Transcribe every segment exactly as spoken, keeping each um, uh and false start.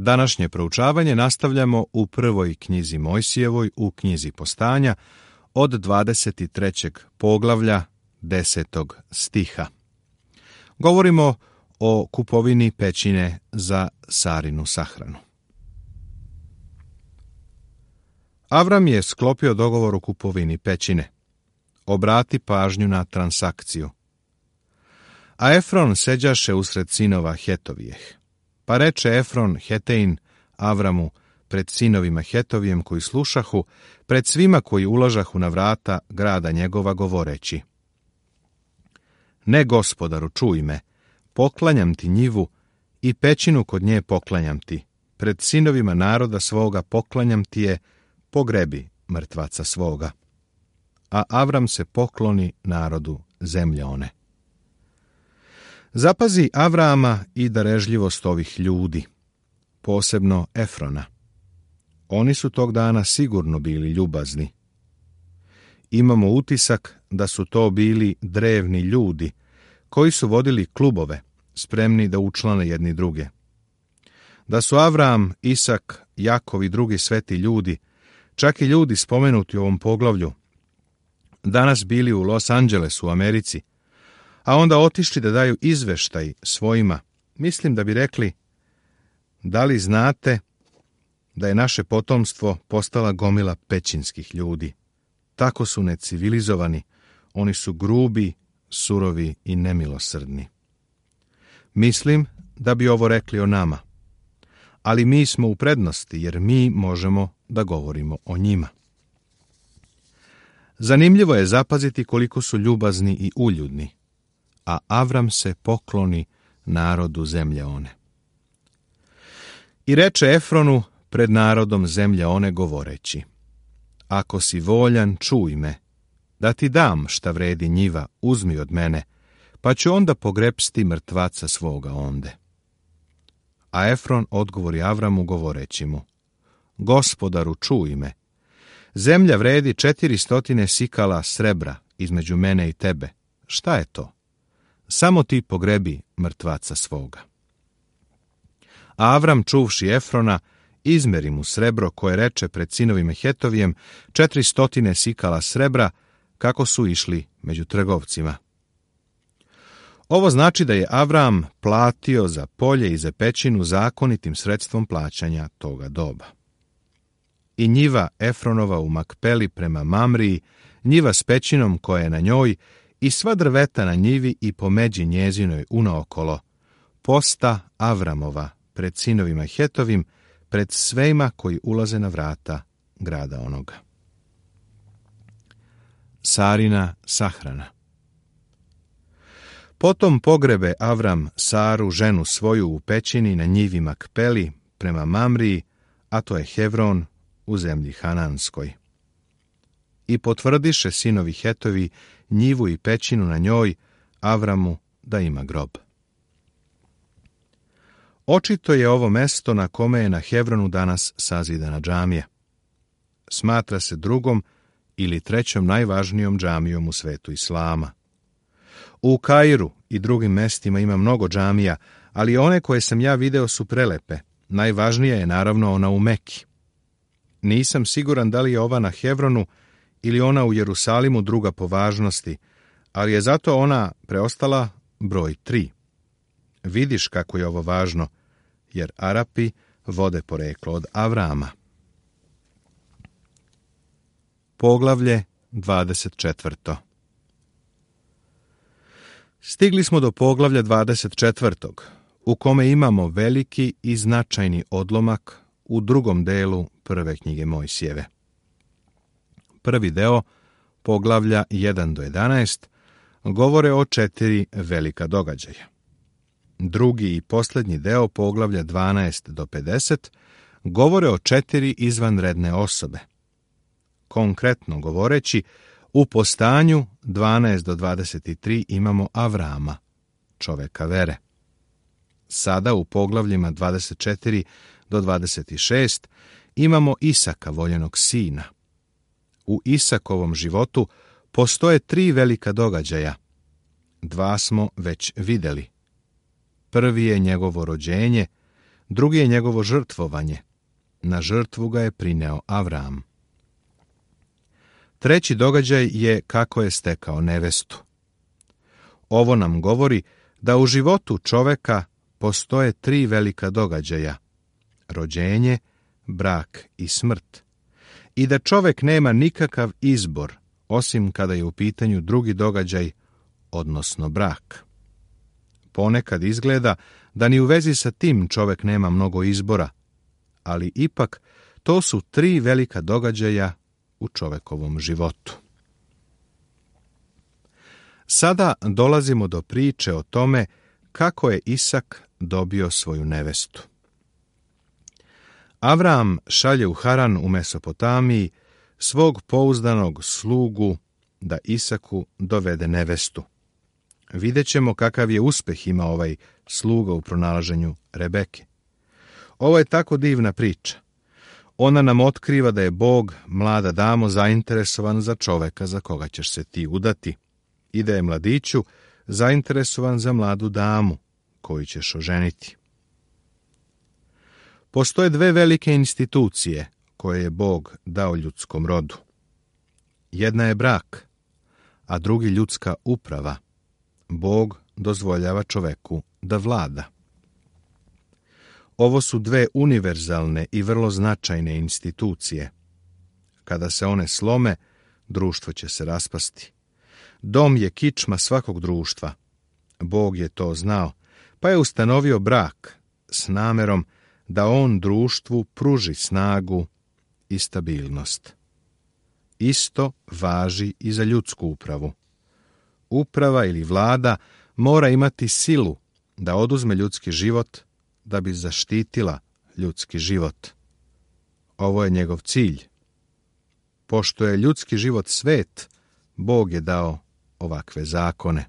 Današnje proučavanje nastavljamo u prvoj knjizi Mojsijevoj, u knjizi Postanja, od dvadeset trećeg poglavlja, desetog stiha. Govorimo o kupovini pećine za Sarinu sahranu. Avram je sklopio dogovor o kupovini pećine. Obrati pažnju na transakciju. A Efron seđaše usred sinova Hetovijeh. Pa reče Efron Hetein Avramu pred sinovima Hetovijem koji slušahu, pred svima koji ulažahu na vrata grada njegova govoreći: Ne, gospodaru, čuj me, poklanjam ti njivu i pećinu kod nje poklanjam ti, pred sinovima naroda svoga poklanjam ti je, pogrebi mrtvaca svoga. A Avram se pokloni narodu zemlje one. Zapazi Avrama i darežljivost ovih ljudi, posebno Efrona. Oni su tog dana sigurno bili ljubazni. Imamo utisak da su to bili drevni ljudi, koji su vodili klubove, spremni da učlane jedni druge. Da su Avram, Isak, Jakov i drugi sveti ljudi, čak i ljudi spomenuti u ovom poglavlju, danas bili u Los Angelesu u Americi, a onda otišli da daju izveštaj svojima, mislim da bi rekli: da li znate da je naše potomstvo postala gomila pećinskih ljudi? Tako su necivilizovani, oni su grubi, surovi i nemilosrdni. Mislim da bi ovo rekli o nama, ali mi smo u prednosti jer mi možemo da govorimo o njima. Zanimljivo je zapaziti koliko su ljubazni i uljudni, a Avram se pokloni narodu zemlje one. I reče Efronu pred narodom zemlje one govoreći: Ako si voljan, čuj me, da ti dam šta vredi njiva, uzmi od mene, pa ću onda pogrepsti mrtvaca svoga onde. A Efron odgovori Avramu govoreći mu: Gospodaru, čuj me, zemlja vredi četiri stotine sikala srebra između mene i tebe. Šta je to? Samo ti pogrebi mrtvaca svoga. A Avram, čuvši Efrona, izmeri mu srebro koje reče pred sinovima Hetovijem, četiri stotine sikala srebra, kako su išli među trgovcima. Ovo znači da je Avram platio za polje i za pećinu zakonitim sredstvom plaćanja toga doba. I njiva Efronova u Makpeli prema Mamriji, njiva s pećinom koja je na njoj, i sva drveta na njivi i po međi njezinoj unaokolo, posta Avramova pred sinovima Hetovim, pred svejma koji ulaze na vrata grada onoga. Sarina sahrana. Potom pogrebe Avram Saru, ženu svoju, u pećini na njivi Makpeli prema Mamriji, a to je Hevron u zemlji Hananskoj. I potvrdiše sinovi Hetovi njivu i pećinu na njoj Avramu da ima grob. Očito je ovo mesto na kome je na Hevronu danas sazidana džamija. Smatra se drugom ili trećom najvažnijom džamijom u svetu islama. U Kairu i drugim mestima ima mnogo džamija, ali one koje sam ja video su prelepe. Najvažnija je naravno ona u Meki. Nisam siguran da li je ova na Hevronu ili ona u Jerusalimu druga po važnosti, ali je zato ona preostala broj tri. Vidiš kako je ovo važno, jer Arapi vode poreklo od Avrama. Poglavlje dvadeset četvrto. Stigli smo do poglavlja dvadeset četvrtog, u kome imamo veliki i značajni odlomak u drugom delu prve knjige Mojsijeve. Prvi deo, poglavlja jedan do jedanaest, govore o četiri velika događaja. Drugi i posljednji deo, poglavlja dvanaest do pedeset, govore o četiri izvanredne osobe. Konkretno govoreći, u Postanju dvanaest do dvadeset tri imamo Avrama, čoveka vere. Sada u poglavljima dvadeset četiri do dvadeset šest imamo Isaka, voljenog sina. U Isakovom životu postoje tri velika događaja. Dva smo već vidjeli. Prvi je njegovo rođenje, drugi je njegovo žrtvovanje. Na žrtvu ga je prineo Avram. Treći događaj je kako je stekao nevestu. Ovo nam govori da u životu čoveka postoje tri velika događaja: rođenje, brak i smrt, i da čovek nema nikakav izbor osim kada je u pitanju drugi događaj, odnosno brak. Ponekad izgleda da ni u vezi sa tim čovek nema mnogo izbora, ali ipak to su tri velika događaja u čovekovom životu. Sada dolazimo do priče o tome kako je Isak dobio svoju nevestu. Avram šalje u Haran u Mesopotamiji svog pouzdanog slugu da Isaku dovede nevestu. Vidjet ćemo kakav je uspeh imao ovaj sluga u pronalaženju Rebeke. Ovo je tako divna priča. Ona nam otkriva da je Bog, mlada damo, zainteresovan za čoveka za koga ćeš se ti udati i da je mladiću zainteresovan za mladu damu koju ćeš oženiti. Postoje dve velike institucije koje je Bog dao ljudskom rodu. Jedna je brak, a drugi ljudska uprava. Bog dozvoljava čoveku da vlada. Ovo su dve univerzalne i vrlo značajne institucije. Kada se one slome, društvo će se raspasti. Dom je kičma svakog društva. Bog je to znao, pa je ustanovio brak s namerom da on društvu pruži snagu i stabilnost. Isto važi i za ljudsku upravu. Uprava ili vlada mora imati silu da oduzme ljudski život da bi zaštitila ljudski život. Ovo je njegov cilj. Pošto je ljudski život svet, Bog je dao ovakve zakone.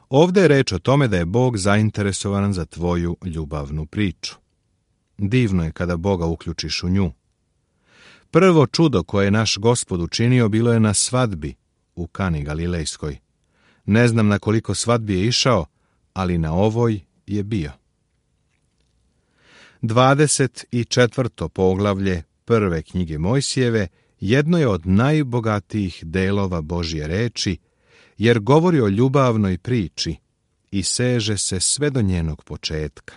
Ovdje je reč o tome da je Bog zainteresovan za tvoju ljubavnu priču. Divno je kada Boga uključiš u nju. Prvo čudo koje je naš Gospod učinio bilo je na svadbi u Kani Galilejskoj. Ne znam na koliko svadbi je išao, ali na ovoj je bio. dvadeset četvrto poglavlje prve knjige Mojsijeve jedno je od najbogatijih delova Božje reči, jer govori o ljubavnoj priči i seže se sve do njenog početka.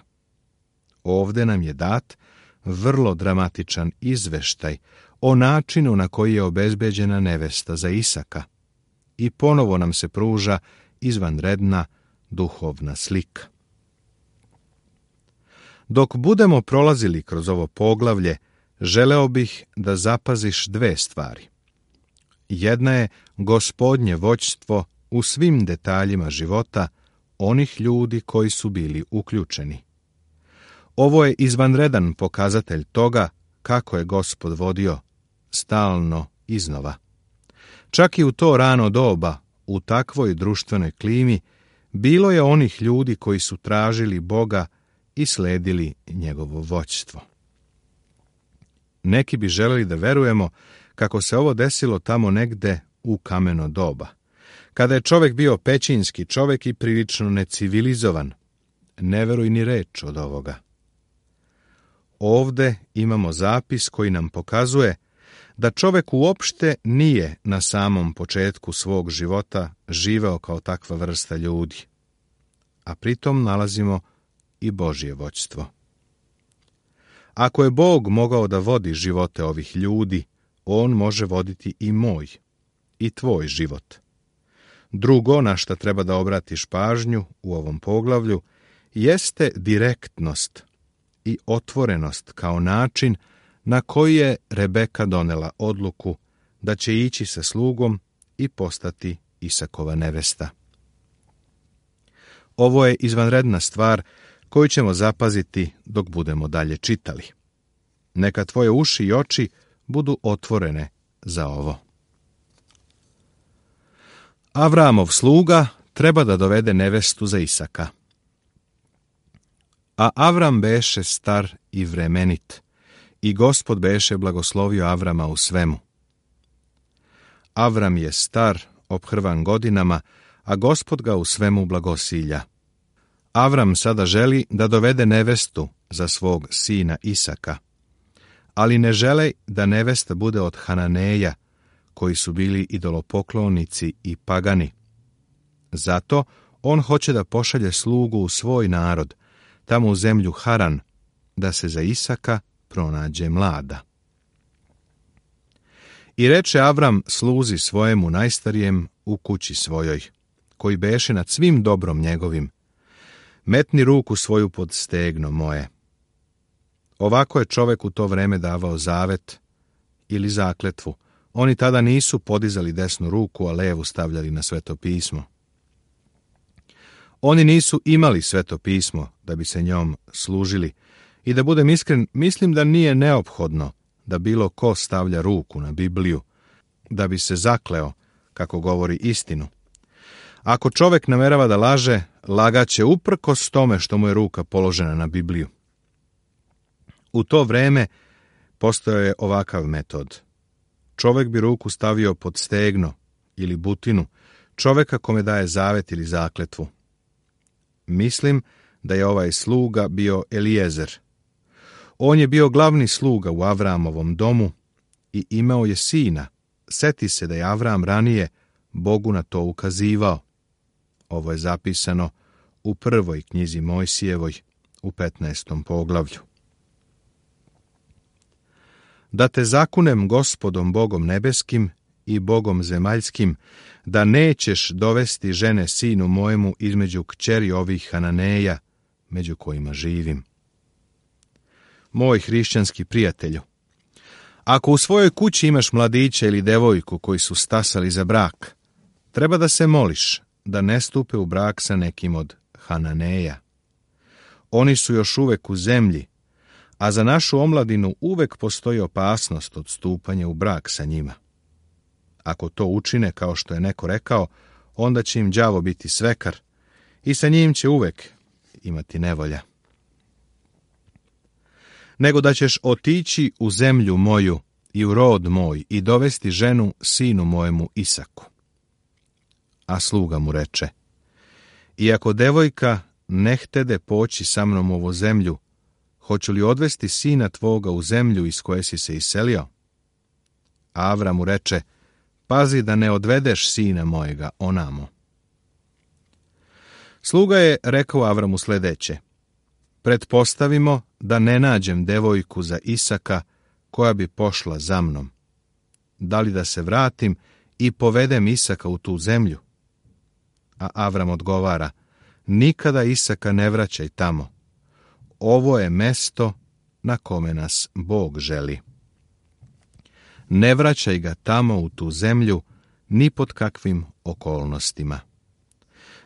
Ovde nam je dat vrlo dramatičan izveštaj o načinu na koji je obezbeđena nevesta za Isaka i ponovo nam se pruža izvanredna duhovna slika. Dok budemo prolazili kroz ovo poglavlje, želeo bih da zapaziš dve stvari. Jedna je Gospodnje vođstvo u svim detaljima života onih ljudi koji su bili uključeni. Ovo je izvanredan pokazatelj toga kako je Gospod vodio, stalno iznova. Čak i u to rano doba, u takvoj društvenoj klimi, bilo je onih ljudi koji su tražili Boga i sledili njegovo vođstvo. Neki bi želeli da verujemo kako se ovo desilo tamo negde u kameno doba, kada je čovek bio pećinski čovek i prilično necivilizovan. Ne veruj ni reč od ovoga. Ovde imamo zapis koji nam pokazuje da čovek uopšte nije na samom početku svog života živeo kao takva vrsta ljudi, a pritom nalazimo i Božje vođstvo. Ako je Bog mogao da vodi živote ovih ljudi, on može voditi i moj, i tvoj život. Drugo, na šta treba da obratiš pažnju u ovom poglavlju, jeste direktnost i otvorenost kao način na koji je Rebeka donela odluku da će ići sa slugom i postati Isakova nevesta. Ovo je izvanredna stvar koju ćemo zapaziti dok budemo dalje čitali. Neka tvoje uši i oči budu otvorene za ovo. Avramov sluga treba da dovede nevestu za Isaka. A Avram beše star i vremenit, i Gospod beše blagoslovio Avrama u svemu. Avram je star, ophrvan godinama, a Gospod ga u svemu blagosilja. Avram sada želi da dovede nevestu za svog sina Isaka, ali ne žele da nevesta bude od Hananeja, koji su bili idolopoklonici i pagani. Zato on hoće da pošalje slugu u svoj narod, tamo u zemlju Haran, da se za Isaka pronađe mlada. I reče Avram sluzi svojemu najstarijem u kući svojoj, koji beše nad svim dobrom njegovim: metni ruku svoju pod stegno moje. Ovako je čovek u to vreme davao zavet ili zakletvu. Oni tada nisu podizali desnu ruku, a levu stavljali na Sveto pismo. Oni nisu imali Sveto pismo da bi se njom služili, i da budem iskren, mislim da nije neophodno da bilo ko stavlja ruku na Bibliju, da bi se zakleo, kako govori istinu. Ako čovek namerava da laže, lagaće uprkos tome što mu je ruka položena na Bibliju. U to vreme postojao je ovakav metod. Čovek bi ruku stavio pod stegno ili butinu čoveka kome daje zavet ili zakletvu. Mislim da je ovaj sluga bio Elijezer. On je bio glavni sluga u Avramovom domu i imao je sina. Seti se da je Avram ranije Bogu na to ukazivao. Ovo je zapisano u prvoj knjizi Mojsijevoj u petnaestom poglavlju. Da te zakunem Gospodom Bogom nebeskim i Bogom zemaljskim, da nećeš dovesti žene sinu mojemu između kćeri ovih Hananeja, među kojima živim. Moj hrišćanski prijatelju, ako u svojoj kući imaš mladića ili devojku koji su stasali za brak, treba da se moliš da ne stupe u brak sa nekim od Hananeja. Oni su još uvek u zemlji, a za našu omladinu uvek postoji opasnost od stupanja u brak sa njima. Ako to učine, kao što je neko rekao, onda će im đavo biti svekar i sa njim će uvek imati nevolja. Nego da ćeš otići u zemlju moju i u rod moj i dovesti ženu sinu mojemu Isaku. A sluga mu reče: iako devojka ne htede poći sa mnom u ovu zemlju, hoću li odvesti sina tvoga u zemlju iz koje si se iselio? A Avram mu reče: pazi da ne odvedeš sina mojega onamo. Sluga je rekao Avramu sledeće: pretpostavimo da ne nađem devojku za Isaka koja bi pošla za mnom. Da li da se vratim i povedem Isaka u tu zemlju? A Avram odgovara: nikada Isaka ne vraćaj tamo. Ovo je mesto na kome nas Bog želi. Ne vraćaj ga tamo u tu zemlju ni pod kakvim okolnostima.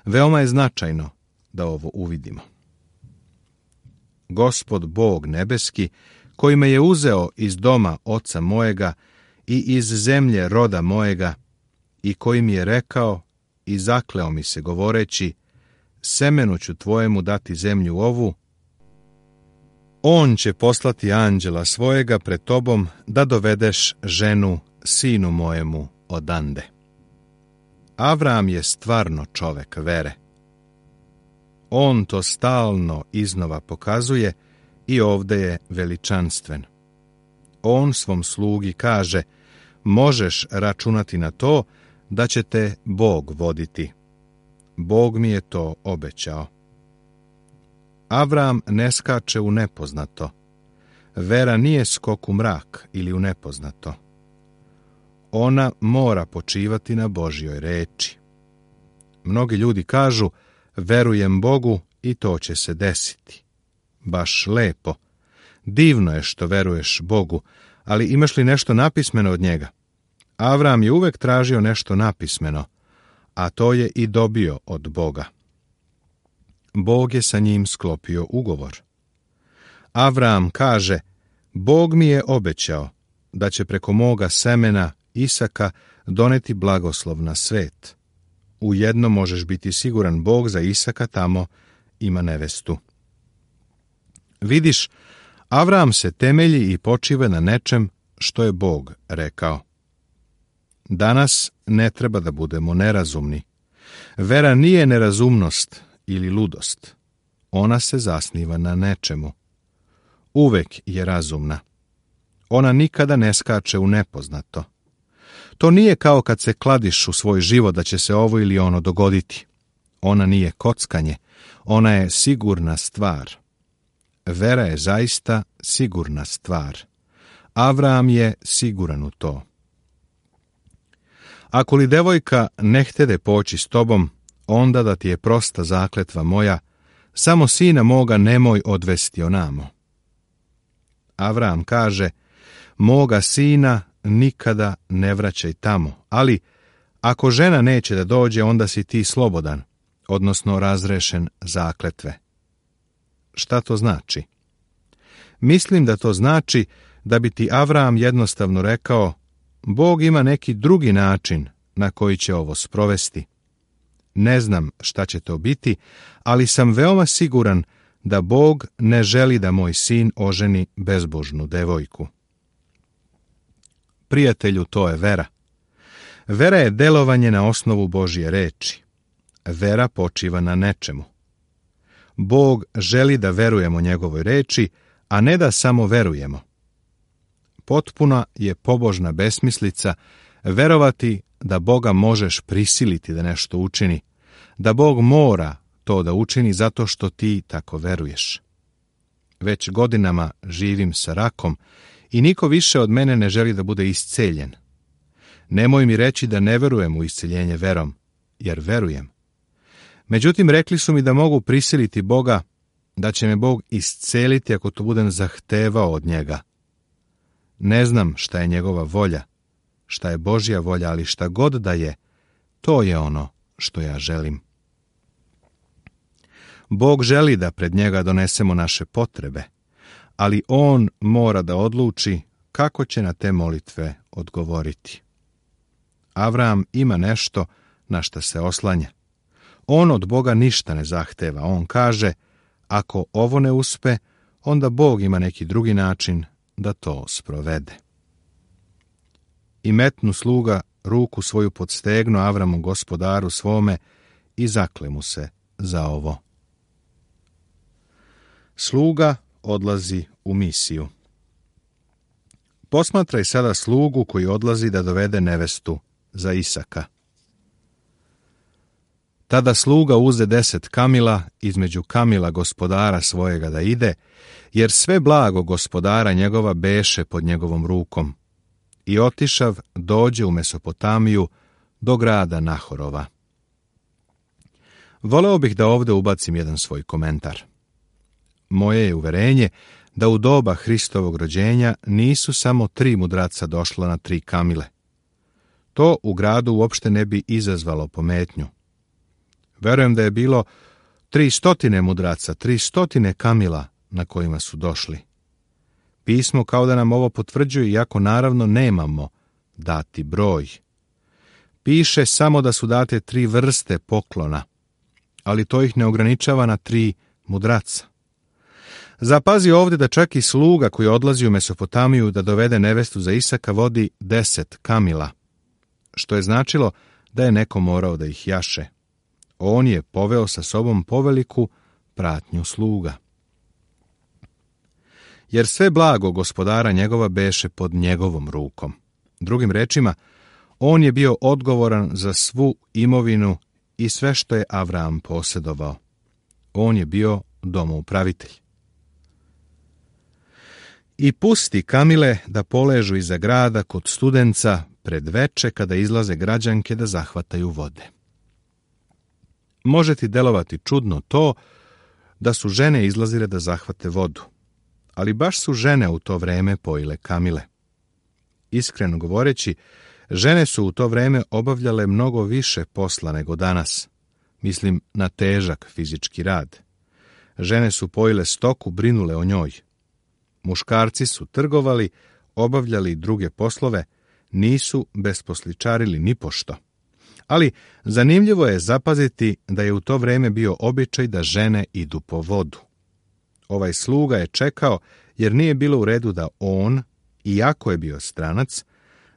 Veoma je značajno da ovo uvidimo. Gospod Bog nebeski, koji me je uzeo iz doma oca mojega i iz zemlje roda mojega, i koji mi je rekao i zakleo mi se govoreći: semenu ću tvojemu dati zemlju ovu, on će poslati anđela svojega pred tobom da dovedeš ženu sinu mojemu odande. Avram je stvarno čovek vere. On to stalno iznova pokazuje i ovde je veličanstven. On svom slugi kaže: možeš računati na to da će te Bog voditi. Bog mi je to obećao. Avram ne skače u nepoznato. Vera nije skok u mrak ili u nepoznato. Ona mora počivati na Božjoj reči. Mnogi ljudi kažu: verujem Bogu i to će se desiti. Baš lepo. Divno je što veruješ Bogu, ali imaš li nešto napismeno od njega? Avram je uvek tražio nešto napismeno, a to je i dobio od Boga. Bog je sa njim sklopio ugovor. Avram kaže: Bog mi je obećao da će preko moga semena Isaka doneti blagoslov na svet. Ujedno možeš biti siguran, Bog za Isaka tamo ima nevestu. Vidiš, Avram se temelji i počiva na nečem što je Bog rekao. Danas ne treba da budemo nerazumni. Vera nije nerazumnost ili ludost. ona se zasniva na nečemu. Uvek je razumna. Ona nikada ne skače u nepoznato. To nije kao kad se kladiš u svoj život da će se ovo ili ono dogoditi. Ona nije kockanje, ona je sigurna stvar. Vera je zaista sigurna stvar. Avram je siguran u to. Ako li devojka ne htede poći s tobom, onda da ti je prosta zakletva moja, samo sina moga nemoj odvesti onamo. Avram kaže, moga sina nikada ne vraćaj tamo, ali ako žena neće da dođe, onda si ti slobodan, odnosno razrešen zakletve. Šta to znači? Mislim da to znači da bi ti Avram jednostavno rekao, Bog ima neki drugi način na koji će ovo sprovesti. Ne znam šta će to biti, ali sam veoma siguran da Bog ne želi da moj sin oženi bezbožnu devojku. Prijatelju, to je vera. Vera je delovanje na osnovu Božje reči. Vera počiva na nečemu. Bog želi da verujemo njegovoj reči, a ne da samo verujemo. Potpuna je pobožna besmislica verovati da Boga možeš prisiliti da nešto učini, da Bog mora to da učini zato što ti tako veruješ. Već godinama živim sa rakom i niko više od mene ne želi da bude isceljen. Nemoj mi reći da ne verujem u isceljenje verom, jer verujem. Međutim, rekli su mi da mogu prisiliti Boga, da će me Bog isceliti ako to budem zahtevao od njega. Ne znam šta je njegova volja, šta je Božja volja, ali šta god da je, to je ono što ja želim. Bog želi da pred njega donesemo naše potrebe, ali on mora da odluči kako će na te molitve odgovoriti. Avram ima nešto na šta se oslanja. On od Boga ništa ne zahteva. On kaže, ako ovo ne uspe, onda Bog ima neki drugi način da to sprovede. I metnu sluga ruku svoju pod stegno Avramu gospodaru svome i zakle mu se za ovo. Sluga odlazi u misiju. Posmatraj sada slugu koji odlazi da dovede nevestu za Isaka. Tada sluga uze deset kamila između kamila gospodara svojega da ide, jer sve blago gospodara njegova beše pod njegovom rukom. I otišav dođe u Mesopotamiju do grada Nahorova. Voleo bih da ovdje ubacim jedan svoj komentar. Moje je uverenje da u doba Hristovog rođenja nisu samo tri mudraca došla na tri kamile. To u gradu uopšte ne bi izazvalo pometnju. Verujem da je bilo tri stotine mudraca, tri stotine kamila na kojima su došli. Pismo kao da nam ovo potvrđuje, iako naravno nemamo dati broj. Piše samo da su date tri vrste poklona, ali to ih ne ograničava na tri mudraca. Zapazi ovdje da čak i sluga koji odlazi u Mesopotamiju da dovede nevestu za Isaka vodi deset kamila, što je značilo da je neko morao da ih jaše. On je poveo sa sobom poveliku pratnju sluga. Jer sve blago gospodara njegova beše pod njegovom rukom. Drugim rečima, on je bio odgovoran za svu imovinu i sve što je Avram posjedovao. On je bio domoupravitelj. I pusti kamile da poležu iza grada kod studenca pred veče kada izlaze građanke da zahvataju vode. Može ti delovati čudno to da su žene izlazile da zahvate vodu, ali baš su žene u to vreme pojile kamile. Iskreno govoreći, žene su u to vreme obavljale mnogo više posla nego danas. Mislim na težak fizički rad. Žene su pojile stoku, brinule o njoj. Muškarci su trgovali, obavljali druge poslove, nisu besposličarili ni pošto. Ali zanimljivo je zapaziti da je u to vreme bio običaj da žene idu po vodu. Ovaj sluga je čekao jer nije bilo u redu da on, iako je bio stranac,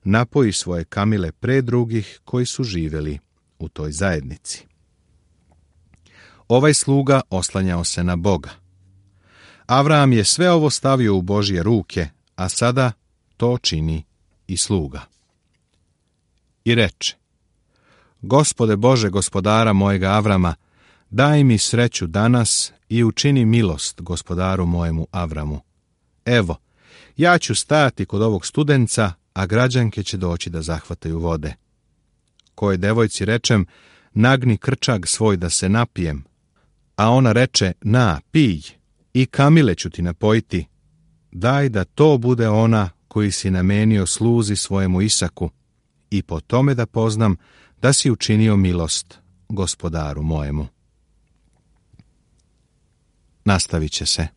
napoji svoje kamile pre drugih koji su živjeli u toj zajednici. Ovaj sluga oslanjao se na Boga. Avram je sve ovo stavio u Božje ruke, a sada to čini i sluga. I reče: Gospode Bože, gospodara mojega Avrama, daj mi sreću danas i učini milost gospodaru mojemu Avramu. Evo, ja ću stajati kod ovog studenca, a građanke će doći da zahvataju vode. Koje devojci rečem: nagni krčag svoj da se napijem, a ona reče: na, pij, i kamile ću ti napojiti. Daj da to bude ona koji si namenio sluzi svojemu Isaku, i po tome da poznam da si učinio milost gospodaru mojemu. Nastavit će se.